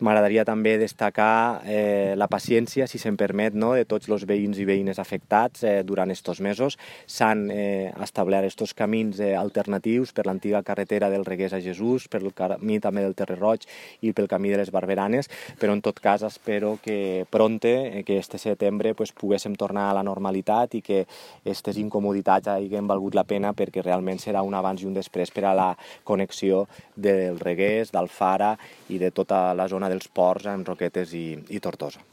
M'agradaria també destacar la paciència, si se'm permet, no?, de tots els veïns i veïnes afectats durant estos mesos. S'han establert estos camins alternatius per l'antiga carretera del Reguers a Jesús, pel camí també del Terrer Roig i pel camí de les Barberanes, però en tot cas espero que pronte, que este setembre, poguéssim tornar a la normalitat i que aquestes incomoditats hagin valgut la pena, perquè realment serà un abans i un després per a la connexió del Reguers, d'Alfara i de tota la zona dels ports amb Roquetes i Tortosa.